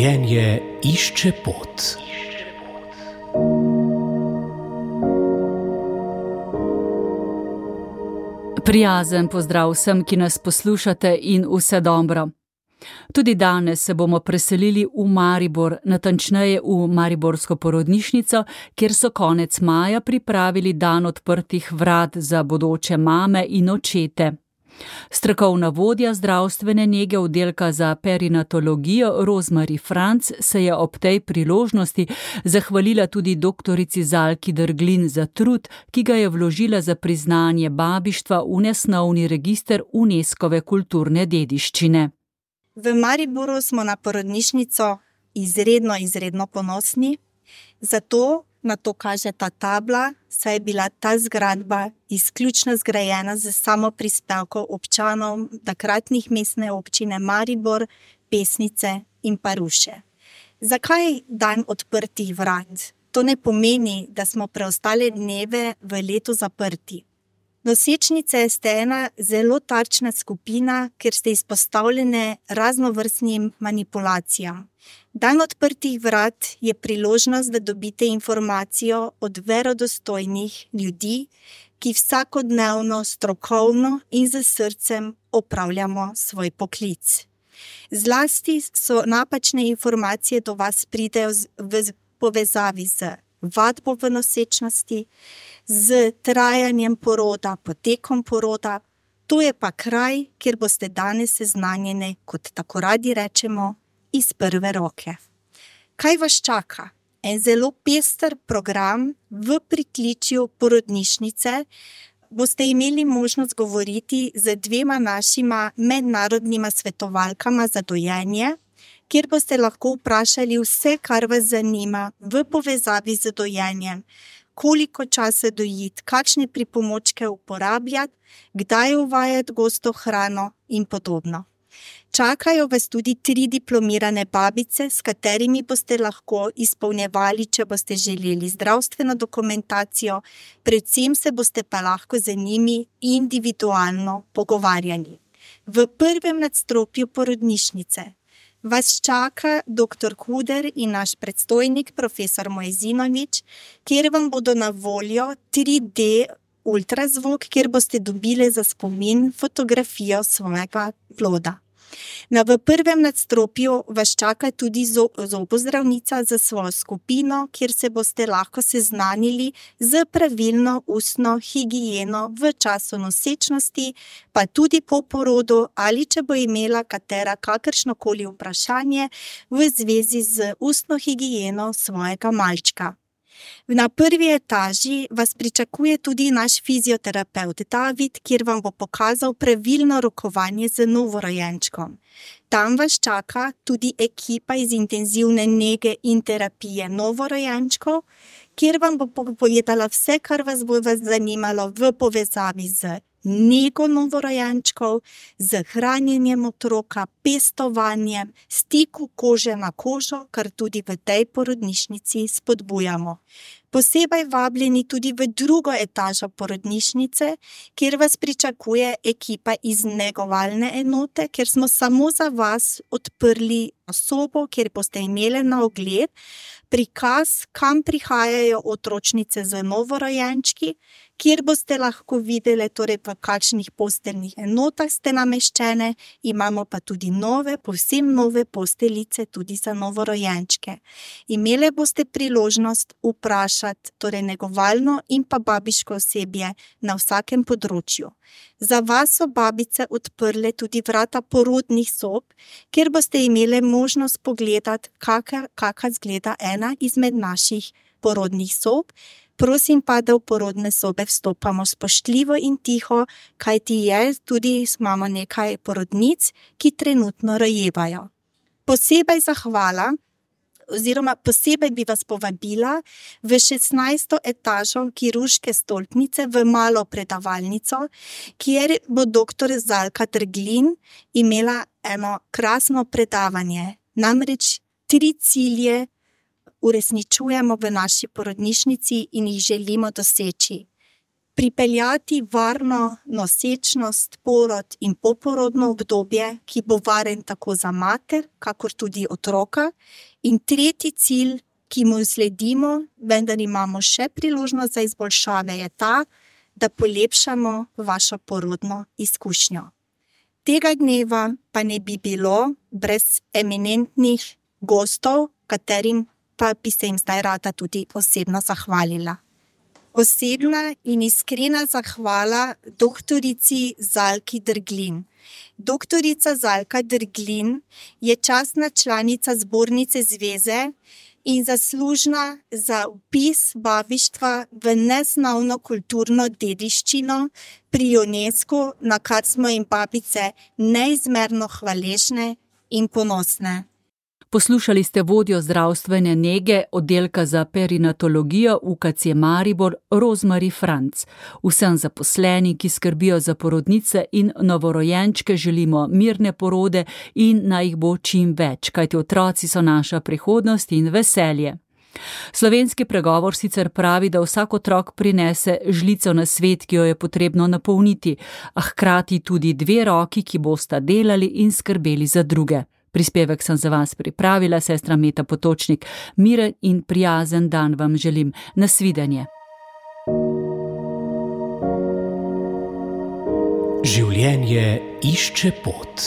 Življenje išče pot. Prijazen pozdrav vsem, ki nas poslušate, in vse dobro. Tudi danes se bomo preselili v Maribor, natančneje v mariborsko porodnišnico, kjer so konec maja pripravili dan odprtih vrat za bodoče mame in očete. Strokovna vodja zdravstvene nege oddelka za perinatologijo Rozmari Franc se je ob tej priložnosti zahvalila tudi doktorici Zalki Derglin za trud, ki ga je vložila za priznanje babištva v nesnovni register Unescove kulturne dediščine. V Mariboru smo na porodnišnico izredno ponosni, zato na to kaže ta tabla, saj je bila ta zgradba izključno zgrajena z samoprispevkom občanov takratnih mestne občine Maribor, Pesnice in Ruše. Zakaj dan odprtih vrat? To ne pomeni, da smo preostale dneve v letu zaprti. Nosečnice ste ena zelo tarčna skupina, ker ste izpostavljene raznovrstnim manipulacijam. Dan odprtih vrat je priložnost, da dobite informacijo od verodostojnih ljudi, ki vsakodnevno, strokovno in z srcem opravljamo svoj poklic. Zlasti so napačne informacije do vas pridejo v povezavi z vadbo v nosečnosti, z trajanjem poroda, potekom poroda. To je pa kraj, kjer boste danes seznanjeni, kot tako radi rečemo, iz prve roke. Kaj vas čaka? En zelo pester program v pritličju porodnišnice. Boste imeli možnost govoriti z dvema našima mednarodnima svetovalkama za dojenje, kjer boste lahko vprašali vse, kar vas zanima v povezavi z dojenjem. Koliko časa dojiti, kakšne pripomočke uporabljati, kdaj uvajati gosto hrano in podobno. Čakajo vas tudi 3 diplomirane babice, s katerimi boste lahko izpolnjevali, če boste želeli, zdravstveno dokumentacijo, predvsem se boste pa lahko z njimi individualno pogovarjali. V prvem nadstropju porodnišnice vas čaka dr. Kuder in naš predstojnik, profesor Mojezinovič, kjer vam bodo na voljo 3D ultrazvok, kjer boste dobili za spomin fotografijo svojega ploda. V prvem nadstropju vas čaka tudi zobozdravnica za svojo skupino, kjer se boste lahko seznanili z pravilno ustno higieno v času nosečnosti, pa tudi po porodu, ali če bo imela kakršnokoli vprašanje v zvezi z ustno higieno svojega malčka. Na prvi etaži vas pričakuje tudi naš fizioterapevt David, kjer vam bo pokazal pravilno rokovanje z novorojenčkom. Tam vas čaka tudi ekipa iz intenzivne nege in terapije novorojenčkov, kjer vam bo povedala vse, kar vas bo zanimalo v povezavi z nego novorojenčkov, z hranjenjem otroka, pestovanjem, stiku kože na kožo, kar tudi v tej porodnišnici spodbujamo. Posebej vabljeni tudi v drugo etažo porodnišnice, kjer vas pričakuje ekipa iz negovalne enote, kjer smo samo za vas odprli sobo, kjer boste imeli na ogled prikaz, kam prihajajo otročnice z novorojenčki, kjer boste lahko videli, torej v kakšnih posteljnih enotah ste nameščene, imamo pa tudi povsem nove posteljice tudi za novorojenčke. Imeli boste priložnost vprašati, torej negovalno in pa babiško osebje na vsakem področju. Za vas so babice odprle tudi vrata porodnih sob, kjer boste imeli možnost pogledati, kaka izgleda ena izmed naših porodnih sob. Prosim pa, da v porodne sobe vstopamo spoštljivo in tiho, kajti imamo nekaj porodnic, ki trenutno rojevajo. Posebej zahvala, oziroma posebej bi vas povabila v 16. etažo kirurške stolpnice v malo predavalnico, kjer bo dr. Zalka Derglin imela eno krasno predavanje. Namreč 3 cilje uresničujemo v naši porodnišnici in jih želimo doseči. pripeljati varno nosečnost, porod in poporodno obdobje, ki bo varen tako za mater, kakor tudi otroka. In tretji cilj, ki mu sledimo, vendar imamo še priložnost za izboljšave, je ta, da polepšamo vašo porodno izkušnjo. Tega dneva pa ne bi bilo brez eminentnih gostov, katerim pa bi se jim zdaj rada tudi osebno zahvalila. Osebna in iskrena zahvala doktorici Zalki Drglin. Doktorica Zalka Drglin je častna članica Zbornice zveze in zaslužna za vpis babištva v nesnovno kulturno dediščino pri UNESCO, na kar smo jim babice neizmerno hvaležne in ponosne. Poslušali ste vodjo zdravstvene nege oddelka za perinatologijo UKC Maribor Rozmari Franc. Vsem zaposlenim, ki skrbijo za porodnice in novorojenčke, želimo mirne porode in naj jih bo čim več, kajti otroci so naša prihodnost in veselje. Slovenski pregovor sicer pravi, da vsak otrok prinese žlico na svet, ki jo je potrebno napolniti, a hkrati tudi 2 roki, ki bosta delali in skrbeli za druge. Prispevek sem za vas pripravila, sestra Meta Potočnik. Miren in prijazen dan vam želim. Nasvidenje. Življenje išče pot.